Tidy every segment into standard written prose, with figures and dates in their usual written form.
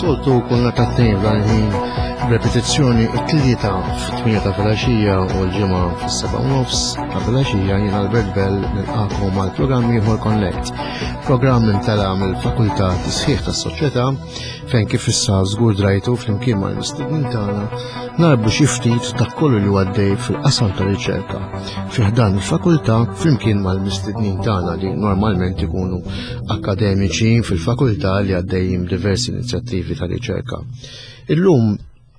Soltu kulna ta' tnejn f'dan il-ħin b'repetizzjoni it-tlieta fit-8 ta' filgħaxija u l-ġimgħa fis-7 u nofs ta' filgħaxija jien Albert Bell nilqakom għal programm ieħor Connect. Programm imtela mill-Fakultà Tisħiħ tas-Soċjetà fejn kif issa żgur drajtu flimkien mal-mistednin tagħna narbu xi ftit dak kollu li għaddej fil-qasam ta' riċerka fi ħdan il-fakultà flimkien mal-mistednin tagħna li normalment ikunu akademiċi fil-fakultà li għaddejjin diversi inizjattivi ta' riċerka. Illum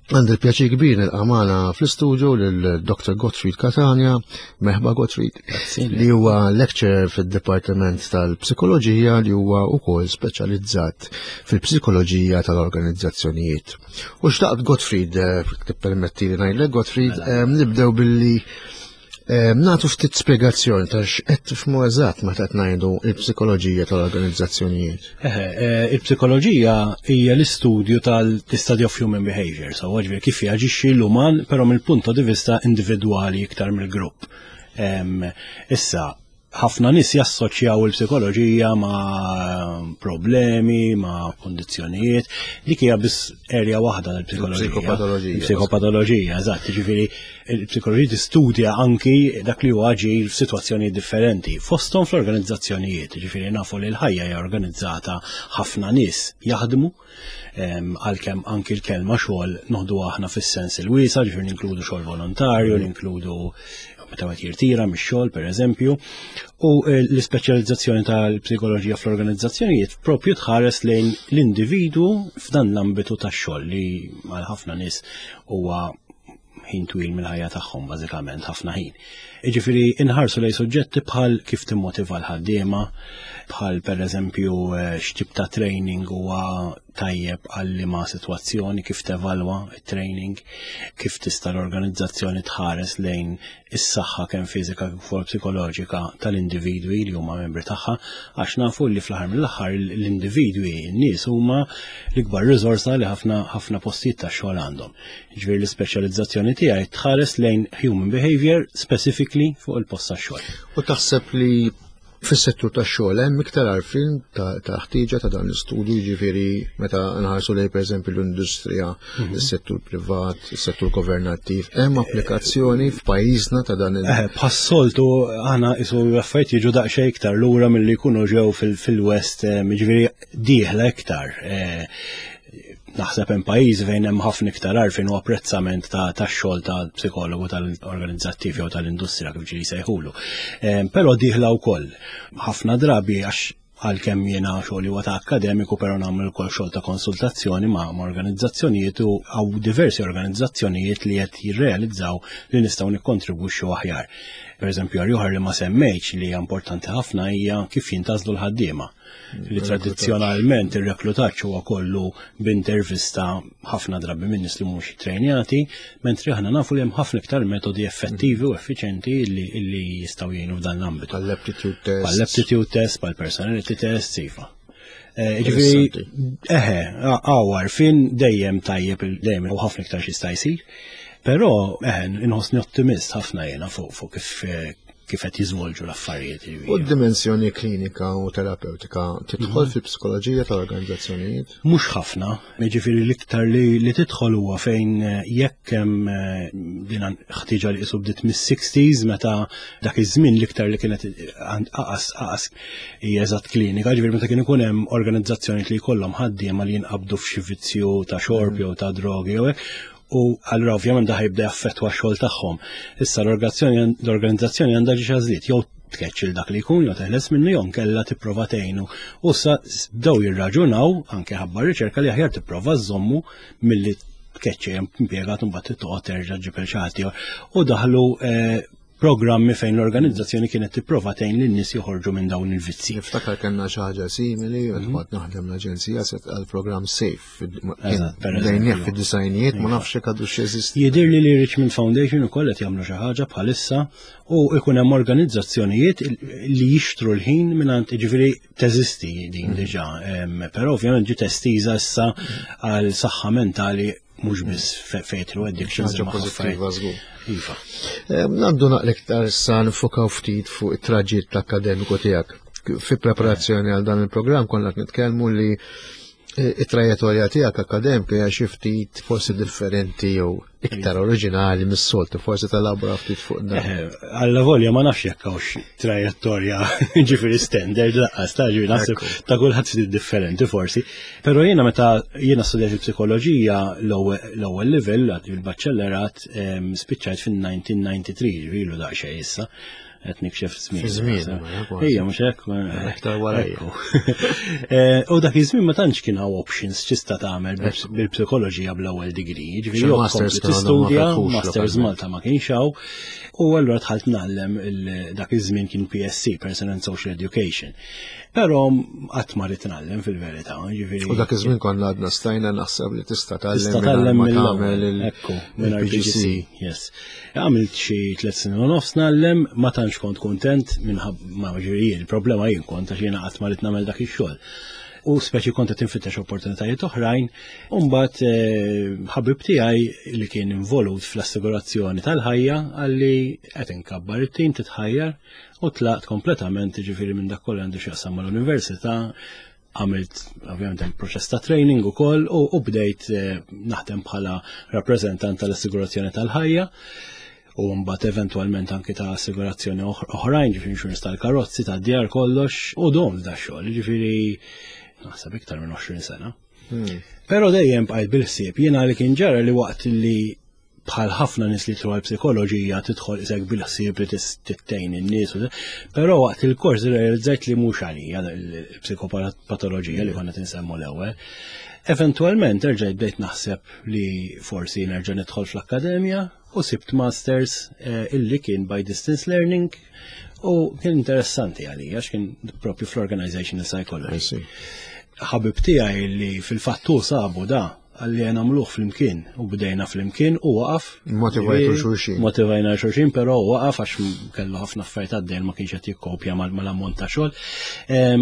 Għandi l-pjaċir kbir nilqa' magħna fl-istudio lil Dr. Gottfried Catania, merħba Gottfried, li huwa lecturer fid-Dipartiment tal-Psikoloġija li huwa wkoll speċjalizzat fil-psikoloġija tal-organizzazzjonijiet. U xtaqt Gottfried, eh, tippermetti li ngħidlek Gottfried, mela. eh, nibdew billi eh, nagħtu ftit spjegazzjoni ta' x'qed tifhmu eżatt meta qed ngħidu il-psikoloġija tal-organizzazzjonijiet. Il-psikoloġija hija l-istudju tal-study of human behavior, so ġifieri kif jaġixxi l-uman però mill-punto di vista individwali iktar mill-grupp. Issa, ħafna nies jassoċjaw il-psikoloġija ma' problemi, ma' kondizzjonijiet. Dik hija biss area waħda tal-psikoloġija. Psikopatoloġija. Psikopatoloġija, eżatt, jiġifieri il-psikoloġija tistudja anki dak li huwa aġir f'sitwazzjonijiet differenti. Fosthom fl-organizzazzjonijiet, jiġifieri nafu li l-ħajja hija organizzata ħafna nies jaħdmu, għalkemm anki l-kelma xogħol noħdu aħna fis-sens il-wiesa, ġifieri ninkludu xogħol volontarju, ninkludu meta wieħed jirtira mix-xogħol pereżempju, u eh, l-ispeċjalizzazzjoni tal-psikoloġija fl-organizzazzjonijiet propju tħares lejn l-individwu f'dan l-ambitu tax-xogħol li għal ħafna nies huwa ħin twil mill-ħajja tagħhom bażikament ħafna ħin. Jiġifieri inħarsu lejn suġġetti bħal kif timmotiva l-ħaddiema, bħal pereżempju eh, x'tip ta' training huwa tajjeb għal liema sitwazzjoni, kif tevalwa it-training, kif tista' l-organizzazzjoni tħares lejn is-saħħa kemm fiżika kif ukoll psikoloġika tal-individwi li huma membri tagħha, għax nafu li fl-aħħar mill-aħħar l-individwi, n-nies huma l-ikbar riżorsa li ħafna ħafna postijiet tax-xogħol għandhom. Ġifieri l-ispeċjalizzazzjoni tiegħi tħares lejn human behavior specifically fuq il-post tax-xogħol. U taħseb li Fis-settur tax-xogħol hemm iktar għarfien ta' ħtieġa ta' dan l-istudju, jiġifieri meta nħarsu lejn pereżempju l-industrija, mhm. is-settur privat, is-settur governattiv, hemm applikazzjoni f'pajjiżna ta' dan il- eh, Bħas-soltu aħna isu affarijiet jiġu daqsxejn iktar lura milli jkunu ġew fil-West, eh, jiġifieri dieħla iktar. Eh, naħseb hemm pajjiżi fejn hemm ħafna iktar għarfien u apprezzament ta' tax-xogħol ta' psikologu tal-organizzattiv jew tal-industrija kif ġieli sejħulu. Ehm, però dieħla wkoll ħafna drabi għax għalkemm jiena xogħol huwa ta' akademiku però nagħmel ukoll xogħol ta' konsultazzjoni ma' organizzazzjonijiet u hawn diversi organizzazzjonijiet li qed jirrealizzaw li nistgħu nikkontribwixxu aħjar. Per eżempju, oħra li ma semmejtx li hija importanti ħafna hija kif jintażlu l-ħaddiema li tradizzjonalment ir-reklutaġġ huwa kollu b'intervista ħafna drabi minn nies li mhux trejnjati, mentri aħna nafu li hemm ħafna iktar metodi effettivi u effiċenti li jistgħu jgħinu f'dan l-ambitu. Bħall-aptitude test. Bħall-aptitude test, bħall-personality test, iva. Eh, ġifieri, eħe, għawar fin dejjem tajjeb dejjem u ħafna iktar xi jsir. Però, eħe, inħossni ottimist ħafna jiena fuq kif eh, kif qed jiżvolġu l-affarijiet. U d-dimensjoni klinika u terapeutika tidħol mhm. fil-psikoloġija tal-organizzazzjonijiet? Mhux ħafna, jiġifieri l-iktar li, li tidħol huwa fejn eh, jekk hemm eh, din ħtieġa li qisu bdiet mis-60s meta dak iż-żmien l-iktar li kienet aqas aqas hija eżatt klinika, ġifieri meta kien ikun hemm organizzazzjonijiet li jkollhom ħaddiema li jinqabdu f'xi vizzju ta' xorb mhm. jew ta' drogi jew hekk u allura ovvjament da ħajbda jaffettwa x-xogħol tagħhom. Issa l-organizzazzjoni għandha ġiex għażliet jew tkeċċi dak li jkun jew teħles minnu jew nkella tipprova tgħinu. U sa bdew jirraġunaw anke ħabba riċerka li aħjar tipprova żommu milli tkeċċi hemm impjegat imbagħad toqgħod terġa' ġib il xi U daħlu eh, programmi fejn l-organizzazzjoni kienet tipprova tgħin lin-nies joħorġu minn dawn il-vizzi. Niftakar kellna xi ħaġa simili, kont naħdem l-aġenzija se għall-programm Safe. Bdejnieh fid-disajnijiet, ma nafx jekk għadu x'jeżisti. Jidhir li li Richmond Foundation ukoll qed jagħmlu xi ħaġa bħalissa u ikun hemm organizzazzjonijiet li jixtru l-ħin mingħand jiġifieri teżisti din mhm. diġà, però ovvjament ġiet estiża issa għal saħħa mentali mhux biss fejn addictions imma pożittiva żgur. Iva. Għandu naqlek iktar issa nifokaw ftit fuq it-traġitt akkademiku tiegħek. Fi preparazzjoni għal dan il-programm konna qed nitkellmu li eh, it-trajettorja tiegħek akademika hija xi ftit forsi differenti jew iktar oriġinali mis-soltu, forsi talabra ftit fuq dan. Eh, alla volja ma nafx jekk hawnx trajettorja ġifieri standard laqqas ta' ġifieri naħseb ta' kulħadd ftit differenti forsi. Però jiena meta jiena studjat il-psikoloġija l-ewwel livell il-baċċellerat spiċċajt fin-1993 ġifieri ilu daqsxejn issa qed nikxef żmien. Żmien. Ejja, mhux hekk. Aktar warajja. Eh, u dak iż-żmien ma tantx kien hawn options x'tista' tagħmel bil-psikoloġija bl-ewwel degree. Ġifieri masters tistudja, masters Malta ma kienx hawn. U allura dħalt ngħallem dak iż-żmien kien PSC, Personal and Social Education. Però qatt ma rrid ngħallem fil-verità, ġifieri. U dak iż-żmien konna għadna stajna naħseb li tista' tgħallem. Tista' tgħallem mill-tagħmel il-PGC. Yes. Għamilt xi tliet snin u nofs ngħallem, ma tantx kont kuntent minħabba ma ġifieri il-problema jien kont għax jiena qatt ma rrid nagħmel dak ix-xogħol. U speċi kont qed infittex opportunitajiet oħrajn, u mbagħad eh, ħabib tiegħi li kien involut fl-assigurazzjoni tal-ħajja għalli qed inkabbar it-tim titħajjar u tlaqt kompletament ġifieri minn dak kollu għandu x'jaqsam mal-università għamilt ovvjament hemm proċess ta' training ukoll u, u bdejt eh, naħdem bħala rappreżentant tal-assigurazzjoni tal-ħajja u mbagħad eventwalment anki ta' assigurazzjoni oħrajn, ġifieri insurance tal-karozzi, tad-djar kollox, u dom da xogħol, ġifieri naħseb iktar minn 20 sena. Hmm. Però dejjem bqajt bil-ħsieb, jiena li kien ġara li waqt li bħal ħafna nies li jidħlu għall-psikoloġija tidħol isek bil-ħsieb li tittejn in-nies, però waqt il-kors realizzajt li mhux għalija l-psikopatoloġija li konna tinsemmu l-ewwel. Eventualment erġajt bdejt naħseb li forsi nerġa' nidħol fl-akkademja u sibt masters eh, illi kien by distance learning u kien interessanti għalija għax kien propju fl-organizational psychology. Ħabib tiegħi li fil-fattu sabu da Għalli nagħmluh flimkien u bdejna flimkien u waqaf. Motivajtu xulxin. Motivajna xulxin, però waqaf għax kellu ħafna affarijiet għaddej ma kienx qed jikkopja mal-ammont ta' xogħol.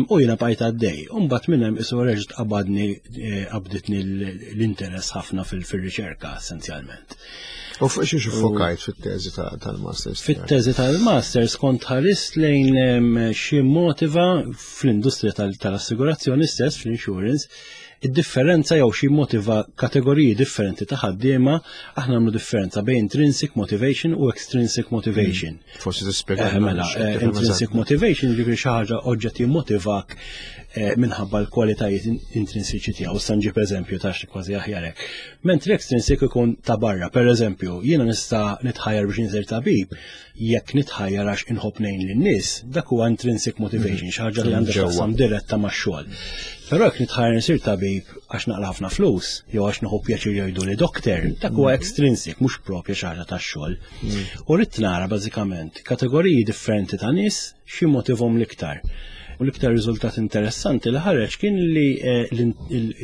U jiena bqajt għaddej. U mbagħad minn hemm isu reġgħet qabadni eh, qabditni l-interess ħafna fil-riċerka essenzjalment. U fuq xiex fokajt fit-teżi tal-masters? Fit-teżi tal-masters kont ħarist lejn xi motiva fl-industrija tal-assigurazzjoni stess, fl-insurance, Id-differenza jew xi motiva kategoriji differenti ta' ħaddiema, aħna nagħmlu differenza bejn intrinsic motivation u extrinsic motivation. Hmm. Forsi tispjega. Eh, mela, eh, intrinsic motivation jiġifieri xi ħaġa oġġett jimmotivak eh, minħabba l-kwalitajiet intrinsiċi tiegħu. Issa nġib eżempju ta' xi kważi aħjar hekk. Mentri extrinsic ikun ta' barra, per eżempju, jiena nista' nitħajjar biex insir tabib, jekk nitħajjar għax inħobb ngħin lin-nies, dak huwa intrinsic motivation, xi ħaġa li għandha x'taqsam diretta max-xogħol. Però jekk nitħajjar insir tabib għax naqla ħafna flus, jew għax nieħu pjaċir jgħidu li dokter, dak huwa extrinsic, mhux propja xi ħaġa tax-xogħol. Mm. U rrid nara bażikament kategoriji differenti ta' nies xi motivhom l-iktar. U l-iktar riżultat interessanti li ħareġ kien li eh,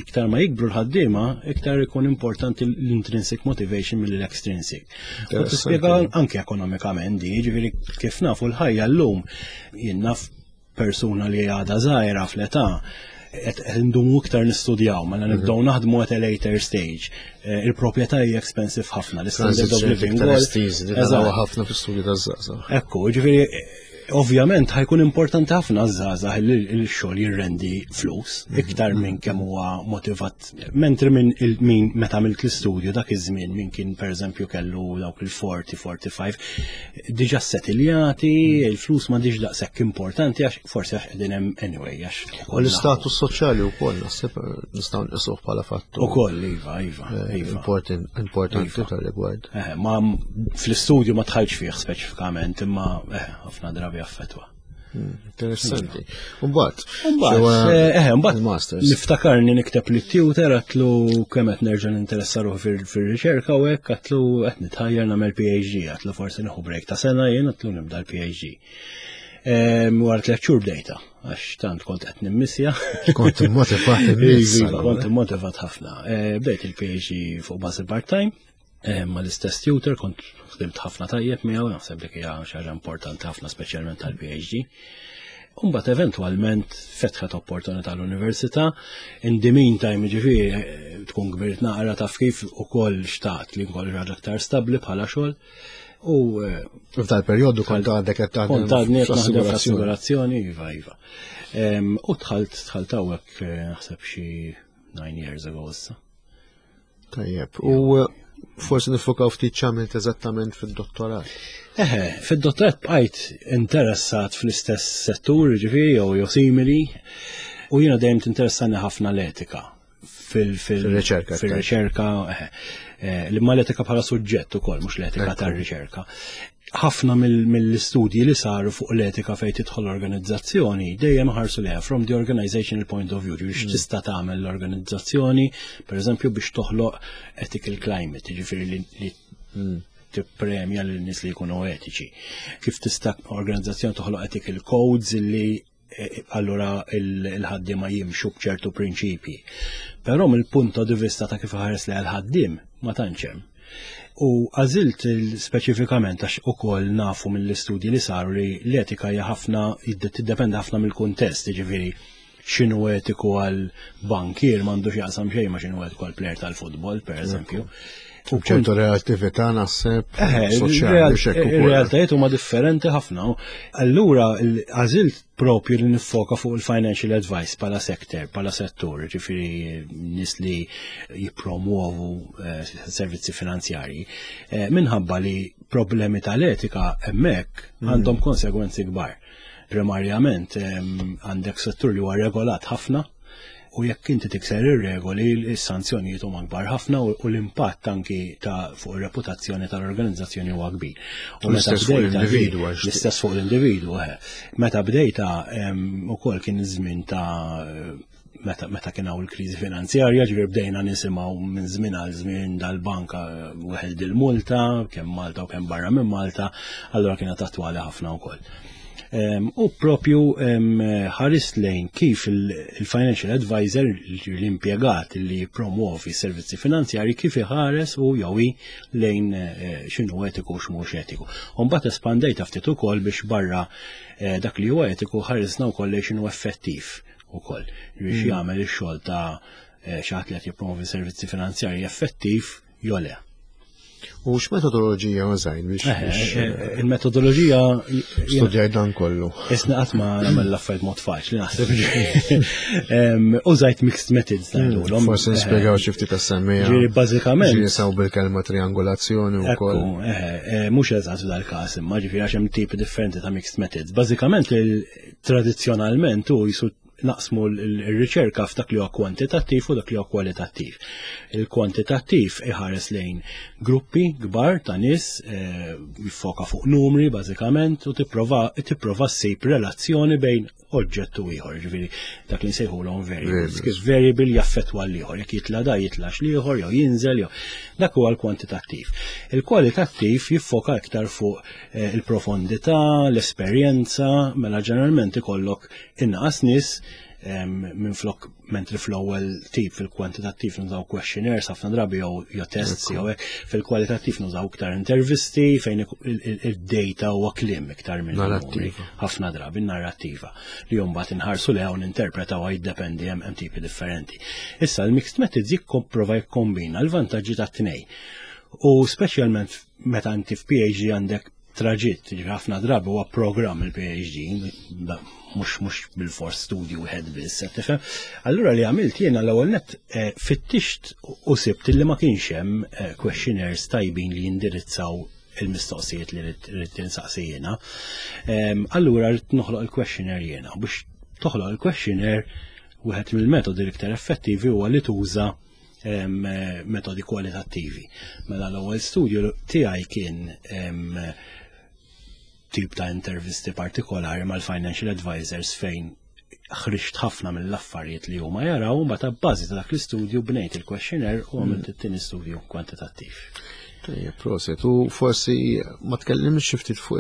iktar ma jikbru l-ħaddiema, iktar ikun importanti l-intrinsic motivation mill-extrinsic. U tispjega anke ekonomikament di, ġifieri kif nafu l-ħajja llum jien naf persuna li għadha żgħira fl-età qed ndumu iktar nistudjaw, mela mhm. nibdew naħdmu at a later stage. Eh, il-proprjetà hija expensive ħafna, l-standard of living. Ħafna fis-studju taż-żgħażagħ. Ekku, ġifieri ovvjament ħajkun importanti ħafna żgħażagħ li l-xogħol jirrendi flus mhm. iktar minn kemm huwa motivat Mentri minn min meta għamilt l-istudju dak iż-żmien min kien pereżempju kellu dawk il-40, 45, diġà setiljati, mm. il-flus ma diġ daqshekk importanti għax forsi għax qegħdin hemm anyway għax. U l-istatus soċjali wkoll naħseb nistgħu nqisuh bħala fattur. Ukoll iva, iva, eh, iva. Importanti iva. tal-rigward. Eh, ma fl-istudju ma tħallx fih speċifikament imma eh, ħafna drabi affettwa. Interessanti. Mbagħad. Mbagħad, eh, eh mbagħad masters. Niftakarni nikteb li tutor għatlu kemm qed nerġa' ninteressa ruħi fir-riċerka u hekk għatlu qed nitħajjar nagħmel PhD, għatlu forsi nieħu break ta' sena jien għatlu nibda l-PhD. Wara tliet xhur bdejta, għax tant kont qed nimmissja. Kont immotivat iva, Kont immotivat ħafna. Eh, bdejt il-PhD fuq bażi part-time, eh, ma l-istess tutor kont ħdimt ħafna tajjeb miegħu, naħseb dik hija xi ħaġa importanti ħafna speċjalment tal-PhD. Umbat eventwalment fetħet opportunità l-università, in the meantime ġifieri eh, tkun kbirt naqra taf kif ukoll xtaqt li nkollu ħaġa aktar stabbli bħala xogħol. U eh, f'dal perjodu kont għadek qed taħdem. Kont għadni qed naħdem fl-assigurazzjoni, iva, iva. U dħalt dħalt hawnhekk eh, naħseb xi 9 years ago issa. Tajjeb. U eh, forsi nifokaw ftit x'għamilt eżattament fid-dottorat. Eħe, fid-dottorat bqajt interessat fl-istess settur, ġifieri jew jew simili, u jiena dejjem tinteressani ħafna l-etika fil-riċerka. Fil-riċerka, eh, eh, li ma l-etika bħala suġġett ukoll, mhux l-etika tar-riċerka. Ħafna mill-istudji li saru fuq l-etika fejn tidħol l-organizzazzjoni dejjem ħarsu leha from the organizational point of view, biex tista' tagħmel l-organizzazzjoni, pereżempju biex toħloq ethical climate, jiġifieri li tippremja lil nies li jkunu etiċi. Kif tista' organizzazzjoni toħloq ethical codes li E, allura il-ħaddiema jimxu b'ċertu prinċipji. Però mill-punto di vista ta' kif ħares li għal-ħaddiem ma tantx hemm. U għażilt speċifikament għax ukoll nafu mill-istudji li saru li l-etika hija ħafna tiddependi ħafna mill-kuntest, jiġifieri x'inhu etiku għal bankier m'għandux jaqsam xejn ma x'inhu etiku għal plejer tal-futbol, per eżempju. U ċertu relattività naħseb soċjali Ir-realtajiet huma differenti ħafna. Allura għażilt propju li nifoka fuq il-financial advice pala sector, pala settur, ġifiri nis li jipromuovu eh, servizzi finanzjarji, eh, minħabba li problemi tal-etika hemmhekk għandhom konsegwenzi kbar. Primarjament għandek settur li huwa regolat ħafna, u jekk inti tikser ir-regoli, is-sanzjonijiet huma kbar ħafna u l-impatt anki ta' fuq ir-reputazzjoni tal-organizzazzjoni huwa kbir. U l-istess fuq l-individwu. L-istess fuq l-individwu, eh. Meta bdejta ukoll kien iż-żmien ta' meta, meta kien hawn il-kriżi finanzjarja, ġifier bdejna nisimgħu minn żmien għal żmien dal-banka weħel il-multa, kemm Malta u kemm barra minn Malta, allura kienet attwali ħafna wkoll. U propju ħarist lejn kif il-financial advisor, l-impjegat li promuovi servizzi finanzjari, kif iħares u jew lejn eh, x'inhu etiku u x'mhux etiku. U mbagħad espandejta ftit ukoll biex barra eh, dak li huwa etiku ħarisna wkoll lejn x'inhu effettiv ukoll biex jagħmel ix-xogħol ta' eh, xi ħadd li qed jippromovi servizzi finanzjarji effettiv jew le. U x'metodoloġija użajt biex eh, eh, il-metodoloġija studjajt dan kollu. Isna qatt ma nagħmel l-affarijiet mod faċli naħseb. Użajt mixed methods ngħidulhom. Forsi nispjegaw xi ftit tas-semmija. Ġieri bażikament. Ġieri saw bil-kelma triangolazzjoni wkoll. Mhux eżatt f'dal-każ imma ġifieri għax hemm tipi differenti ta' mixed methods. Bażikament tradizzjonalment u jisu naqsmu l-riċerka f'dak li huwa kwantitattiv u dak li huwa kwalitattiv. Il-kwantitattiv iħares lejn gruppi kbar ta' nies eh, jiffoka fuq numri bażikament u tipprova tipprova ssib relazzjoni bejn oġġett u ieħor, ġifieri dak li nsejħulhom variables. Kif variable jaffettwa l-ieħor, jekk jitla da jitlax l-ieħor jew jinżel jew dak huwa l-kwantitattiv. Il-kwalitattiv jiffoka iktar fuq eh, il-profondità, l-esperjenza, mela ġeneralment ikollok inqas nies minn flok mentri fl-ewwel tip fil-kwantitattiv nużaw questionnaires ħafna drabi jew jew tests jew hekk, fil-kwalitattiv nużaw iktar intervisti fejn id-data huwa kliem iktar minn narrattiva. Ħafna drabi narrattiva li mbagħad inħarsu leha u ninterpretaw jiddependi hemm tipi differenti. Issa l-mixed methods jikkomprova jikkombina l-vantaġġi tat-tnej. U speċjalment meta inti f'PhD għandek traġitt, ġifieri ħafna drabi huwa programm il-PhD, mhux mhux bil-fors studju wieħed biss, qed tifhem. Allura li għamilt jiena l-ewwel nett eh, fittixt u sibt li ma kienx hemm eh, questionnaires tajbin li jindirizzaw il-mistoqsijiet li rrid tinsaqsi jiena. Ehm, allura rrid noħloq il-questionnaire jiena. Biex toħloq il-questionnaire wieħed mill-metodi l-iktar effettivi huwa li tuża metodi kwalitattivi. Mela l-ewwel studju tiegħi kien tip ta' intervisti partikolari mal-financial advisors fejn ħriġt ħafna mill-affarijiet li huma jaraw, mbagħad ta' bażi ta' dak l-istudju bnejt il-questionnaire u għamilt it-tieni studju kwantitattiv. Tajjeb, proset. U forsi ma tkellimx xi ftit fuq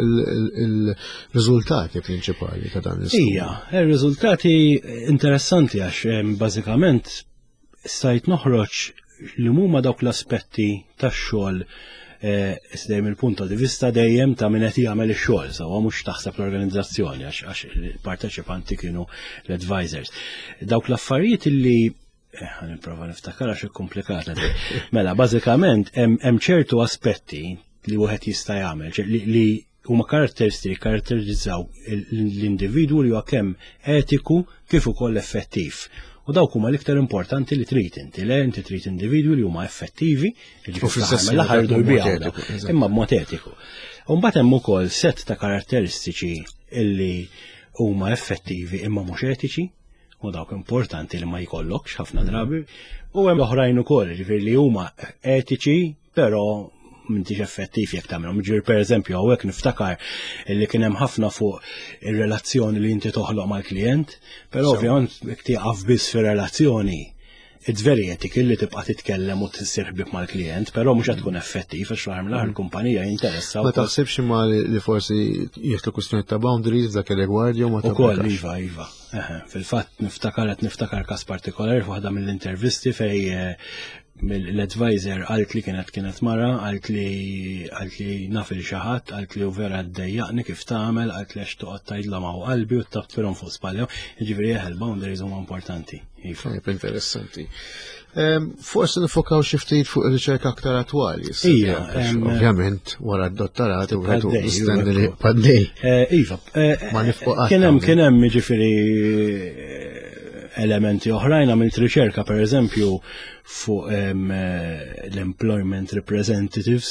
il-riżultati prinċipali ta' dan l-istudju. Ija, ir-riżultati interessanti għax bażikament stajt noħroġ li huma dawk l-aspetti tax-xogħol eh, dejjem il-punto di vista dejjem ta' min qed jagħmel ix-xogħol, sewwa mhux taħseb l-organizzazzjoni għax il-parteċipanti kienu l-advisors. Dawk l-affarijiet li eh, nipprova niftakar għax komplikata. Mela, bażikament hemm ċertu aspetti li wieħed jista' jagħmel li huma karatteristiċi karatterizzaw l-individwu li huwa kemm etiku kif ukoll effettiv. U dawk huma l-iktar importanti li trid inti, le inti trid individwi li huma effettivi, jiġifieri l-aħħar jbiegħu imma b'mod etiku. U mbagħad hemm ukoll set ta' karatteristiċi illi huma effettivi imma mhux etiċi, u dawk importanti li ma jkollokx ħafna drabi, u hemm oħrajn ukoll, ġifieri li huma etiċi, però m'intix effettiv jekk tagħmilhom. Ġifieri pereżempju hawnhekk niftakar li kien hemm ħafna fuq ir-relazzjoni li inti toħloq mal-klijent, però ovvjament jekk tieqaf biss fir-relazzjoni it's very ethical li tibqa' titkellem u tissir ħbieb mal-klijent, però mhux qed tkun effettiv għax fl-aħħar mill-aħħar il-kumpanija jinteressa. Ma taħsibx imma li forsi jieħdu kwistjoni ta' boundaries f'dak ir-rigward jew ma Ukoll iva, iva. Fil-fatt niftakar qed niftakar każ partikolari f'waħda mill-intervisti fej eh, l-advisor għalt li kienet kienet mara, għalt li għalt li naf il xi ħadd, għalt li u vera ddejjaqni kif tagħmel, għalt li għax toqgħod tgħidlhom hawn qalbi u tabtfilhom fuq spallhom. Jiġifieri eħe l-boundaries huma importanti. Iva. Interessanti. Forsi nifokaw xi ftit fuq ir-riċerka aktar attwali. Ija, ovvjament wara d-dottorat u għetu mistenni li paddej. Eh, iva, eh, ma nifqu Kien hemm kien hemm jiġifieri eh, elementi oħrajn għamilt riċerka pereżempju fuq l-employment representatives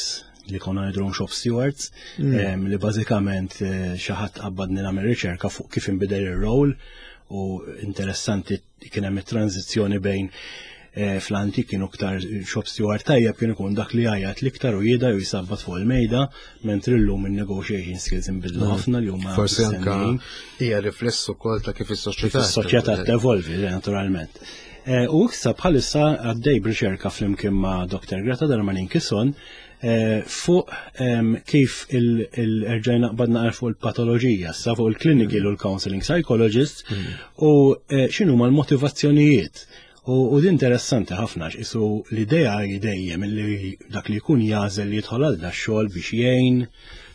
li konna ngħidulhom shop stewards, li bażikament xi ħadd qabbadni nagħmel riċerka fuq kif inbidel ir-role u interessanti kien hemm it-tranzizzjoni bejn eh, fl-antik kienu ktar shop steward tajjeb kien ikun dak li għajat l-iktar u jida u jisabbat fuq il-mejda, mentri llum in-negotiation skills inbidlu mm. ħafna li huma. Forsi anka hija rifless ukoll ta' kif is-soċjetà. Is-soċjetà tevolvi, naturalment. Eh, u issa bħalissa għaddej b'riċerka flimkien ma' Dr. Greta Darmanin Kisson Eh, fuq kif il-erġajna qbadna fuq il-patoloġija, sa fuq il-clinical u l-counseling psychologist mm. u eh, xinu ma l-motivazzjonijiet. U din interessanti ħafna isu l-idea dejjem li dak li jkun jażel li jidħol għal da xogħol biex jgħin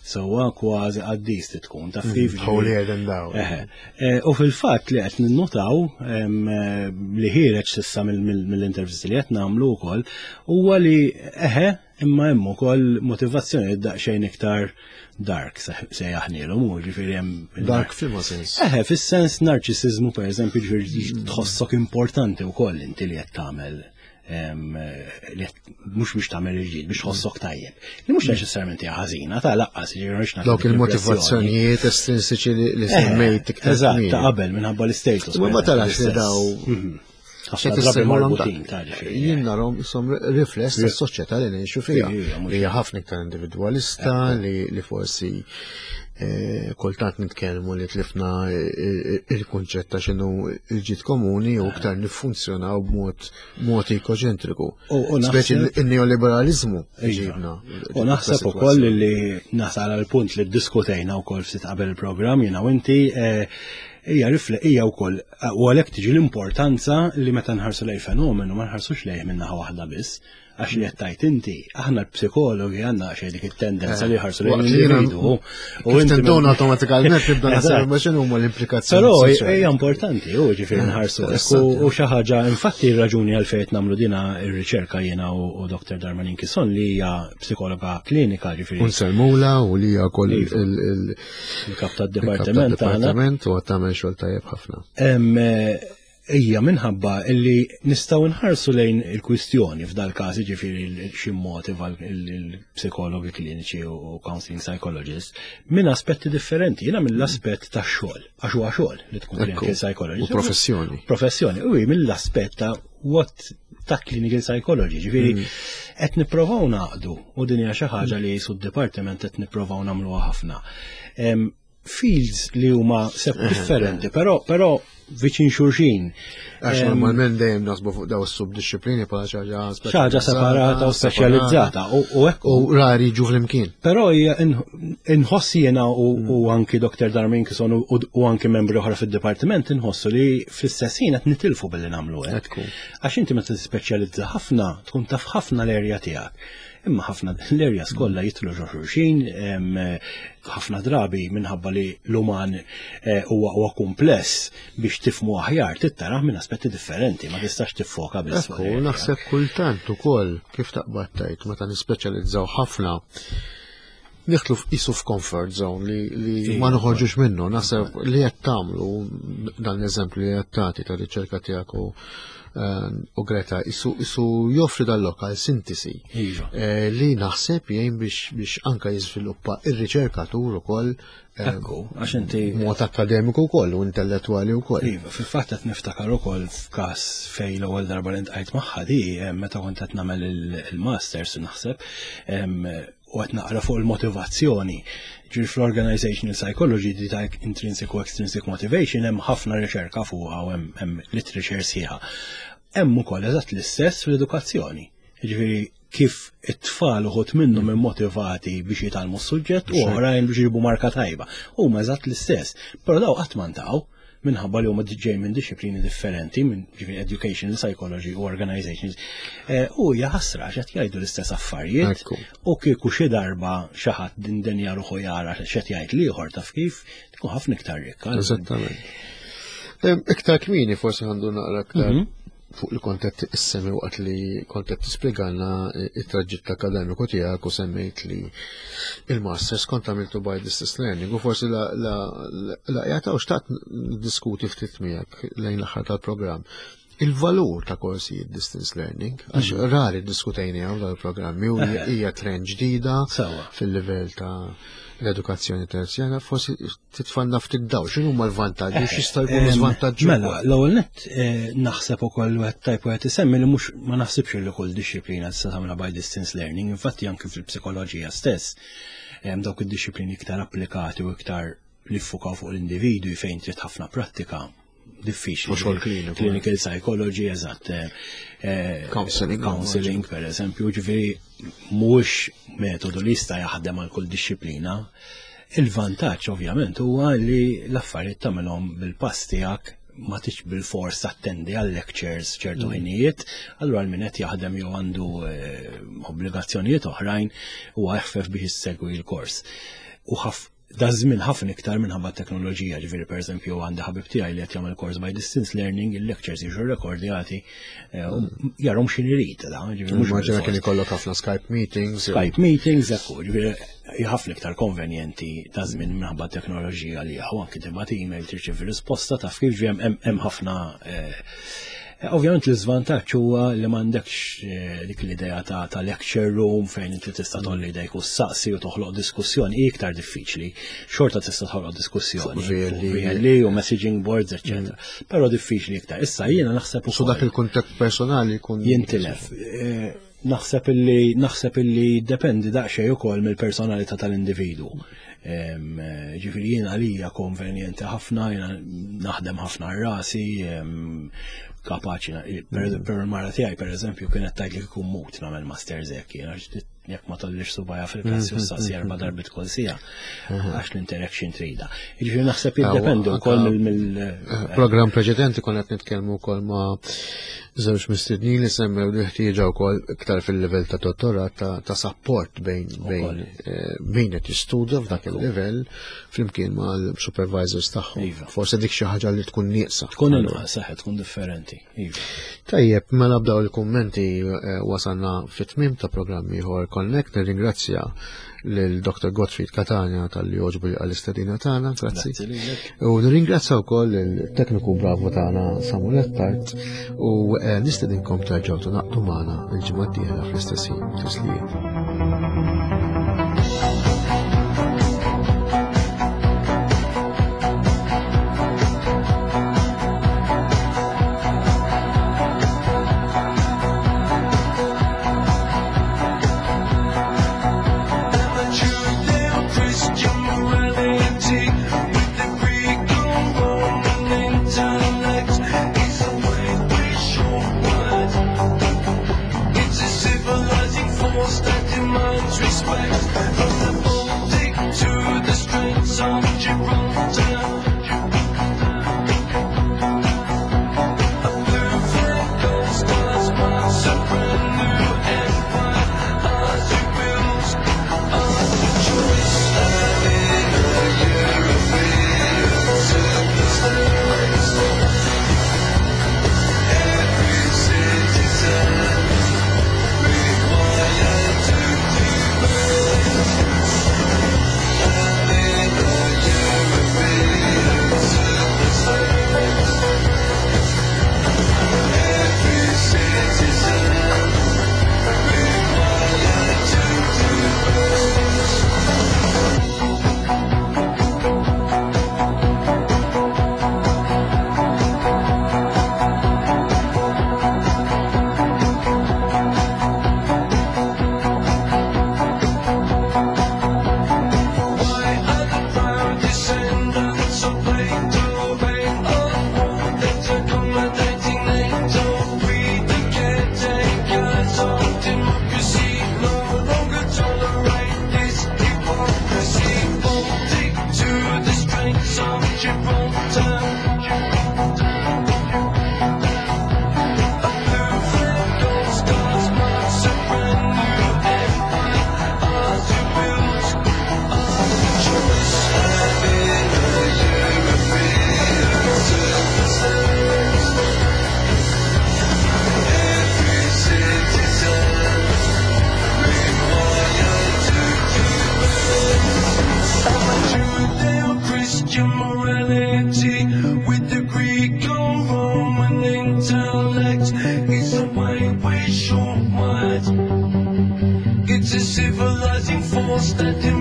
sewwa kważi qaddis li tkun taf mm, kif. Holier than thou. Eh, u fil-fatt li qed ninnotaw li ħireġ s'issa mill-intervisti li qed nagħmlu wkoll huwa li eħe imma hemm ukoll motivazzjoni daqsxejn iktar dark se jaħnilhom u ġifieri hemm dark f'liema sens. Eħe, fis-sens narċisiżmu pereżempju ġifieri mm. tħossok importanti wkoll inti li qed tagħmel li mhux biex tagħmel il-ġid, biex tħossok tajjeb. Li mhux neċessarjament hija ħażina, ta' laqqas ġifieri Dawk il-motivazzjonijiet estrinsiċi li eh, semmejt iktar. Eżatt, ta' qabel minħabba l-istatus. Ma tarax li daw mhm. ħafna drabi marbutin ta' ġifieri. Jien narhom isom rifless tas-soċjetà li ngħixu fiha. Li hija ħafna iktar individwalista li forsi eh, kultant nitkellmu li tlifna eh, il-kunċett ta' x'inhu il-ġid komuni u iktar niffunzjonaw b'mod mod ekoċentriku. Speċi il-neoliberalizmu iva. ġibna. U naħseb ukoll li nasal għal punt li ddiskutejna wkoll ftit qabel il-programm jiena u inti eh, hija rifle hija wkoll u għalhekk tiġi l-importanza li meta nħarsu lej fenomenu ma nħarsux lejh minn naħa waħda biss Għax li qed inti, aħna l-psikologi għandna xejn dik it-tendenza li ħarsu lejn l-individwu. U inti tendon automatikament tibda naħseb ma x'inhu huma l-implikazzjoni. Però hija importanti, u ġifieri nħarsu. U xi ħaġa, infatti r-raġuni għalfejn qed nagħmlu dina r-riċerka jiena u Dr. Darmanin Kisson li hija psikologa klinika ġifieri. Unselmula u li hija wkoll iva. il-kap tad-dipartiment tagħna. U qed tagħmel xogħol tajjeb ħafna. Eh, Hija minħabba illi nistgħu nħarsu lejn il-kwistjoni f'dal każ jiġifieri xi motiva l-psikologi kliniċi u counseling psychologists minn aspetti differenti. Jiena mill-aspett tax-xogħol, għax huwa xogħol li tkun clinical psychologist. U professjoni. Professjoni, u mill-aspett ta' what ta' clinical psychology, ġifieri qed nipprovaw naqdu u din hija xi ħaġa li sud dipartiment qed nipprovaw nagħmluha ħafna. Fields li huma sepp differenti, però viċin xulxin. Għax normalment dejjem nasbu fuq daw is-subdixxiplini bħala xi ħaġa ħaġa separata u speċjalizzata u hekk u rari jiġu flimkien. Però hija inħoss jiena u anki Dr. Darmin Kison u anki membri oħra fid-dipartiment inħossu li fl-istess ħin qed nitilfu billi nagħmlu hekk. Għax inti meta tispeċjalizza ħafna tkun taf ħafna l-erja tiegħek. Imma ħafna l-areas kollha jidħlu ġo xulxin, ħafna drabi minħabba li l-uman eh, huwa huwa kumpless biex tifmu aħjar tittarah minn aspetti differenti, ma tistax tiffoka biss. Ekku, naħseb kultant ukoll kif taqbad tgħid meta nispeċjalizzaw ħafna nidħlu f'isu f'comfort zone li, li iva. ma noħorġux minnu. Naħseb li qed tagħmlu dan l-eżempju li qed tagħti ta' riċerka tiegħek u eh, u Greta isu, isu joffri dal-lokal sintesi iva. eh, li naħseb jgħin biex, biex anka jiżviluppa ir-riċerkatur ukoll eh, Ekku, għax inti mod akademiku wkoll u intellettwali wkoll. Iva, fil-fatt qed niftakar ukoll f'każ fejn l-ewwel darba li ntqajt magħha di meta kont qed nagħmel il-masters naħseb u qed naqra fuq il-motivazzjoni. Ġifieri fl-organizational psychology di ta' intrinsic u extrinsic motivation hemm ħafna riċerka fuqha u hemm literature sħiħa. Hemm ukoll eżatt l-istess fl-edukazzjoni. Ġifieri kif it-tfal uħut minnhom immotivati biex jitgħallmu s-suġġett u oħrajn biex jġibu marka tajba. Huma eżatt l-istess. Però daw qatt ma ntaqgħu minħabba li huma ġej minn disciplini differenti, minn ġifieri education, psychology u organizations. Eh, u hija ħasra x'qed jgħidu l-istess affarijiet u kieku xi darba xi ħadd din dinja ruħu jara x'qed jgħid l-ieħor taf kif tkun ħafna iktar rikka. Eżattament. Iktar kmieni forsi għandu naqra iktar fuq li kont qed issemmi waqt li kont qed tispjegalna it-traġitt akademiku tiegħek u semmejt li il-masters kont għamiltu by distance learning u forsi la la la jagħtaw xtaqt diskuti ftit miegħek lejn l-aħħar tal-programm. Il-valur ta' korsijiet distance learning, għax mhm. rari diskutejni għaw dal-programmi u hija trend ġdida fil-livell ta' l-edukazzjoni terzjana, forsi titfanna ftit daw, x'inhu huma l-vantaġġi u x'jista' jkunu żvantaġġi. Mela, l-ewwel nett eh, naħseb ukoll wieħed tajb wieħed isemmi li mhux ma naħsibx li kull dixxiplina tista' tagħmilha by distance learning, infatti anke fil-psikoloġija stess hemm dawk id-dixxiplini iktar applikati u iktar li ffukaw fuq l-individwi fejn trid ħafna prattika diffiċli. U xogħol kliniku. Clinical psychology, eżatt. Eh, eh, counseling. Counseling, per eżempju, ġifieri mhuwiex metodu li jista' jaħdem għal kull dixxiplina. Il-vantaġġ ovvjament huwa li l-affarijiet tagħmilhom bil-pass tiegħek ma tix bil-fors attendi għal lectures ċertu mm. ħinijiet, allura min qed jaħdem jew għandu eh, obbligazzjonijiet oħrajn huwa eħfef biex issegwi l-kors. U da żmien ħafna iktar minħabba teknoloġija, ġifieri pereżempju għandi ħabib tiegħi li qed jagħmel kors by distance learning, il-lectures jiġu rekordjati, eh, jarhom x'in irid da, ġifieri mhux Immaġina kien ikollok ħafna Skype meetings. Skype meetings, ekku, ġifieri ħafna iktar konvenjenti ta' żmien minħabba teknoloġija li hawn anki tibgħat email tirċievi risposta taf kif ġifieri hemm ħafna eh, Ovvjament l-iżvantaġġ huwa li m'għandekx eh, dik l-idea ta', ta lecture room fejn inti tista' tolli idejk u saqsi u toħloq diskussjoni hi iktar diffiċli. Xorta tista' toħloq diskussjoni VLE u messaging boards, etc. Mm. Però diffiċli iktar. Issa jiena naħseb ukoll. dak il-kuntatt personali jkun jintilef. Eh, naħseb illi naħseb illi dependi daqsxejn ukoll mill-personalità tal-individwu. Ġifieri jien għalija konvenjenti ħafna, jiena naħdem ħafna rasi, kapaċi, per il-mara tiegħi pereżempju kienet tgħid li kieku mut nagħmel masters hekk, jiena jekk ma tollix subajja fil-klassi u saqsi erba' darbit kull sija, għax l-interaction trida. Jiġifieri naħseb jiddependi wkoll mill eh, Programm preċedenti konna qed nitkellmu wkoll ma' żewġ mistednin li semmew li ħtieġa wkoll iktar fil-livell ta' dottorat ta' support bejn bejn eh, min qed jistudja f'dak il-livell flimkien mal-supervisors tagħhom. Iva. Forse dik xi ħaġa li tkun nieqsa. Tkun inqas, saħ tkun differenti. Iva. Tajjeb, mela b'daw il-kummenti eh, wasalna fit-tmiem ta' programm ieħor Connect, nirringrazzja lil Dr. Gottfried Catania tal-li oġbu li għal-istedina tagħna, grazzi. U nirringrazzja wkoll il-tekniku bravo tagħna Samuel Attard u eh, nistedinkom terġgħu tingħaqdu magħna l-ġimgħa d-dieħla fl-istess ħin. Tislijiet. Used to do.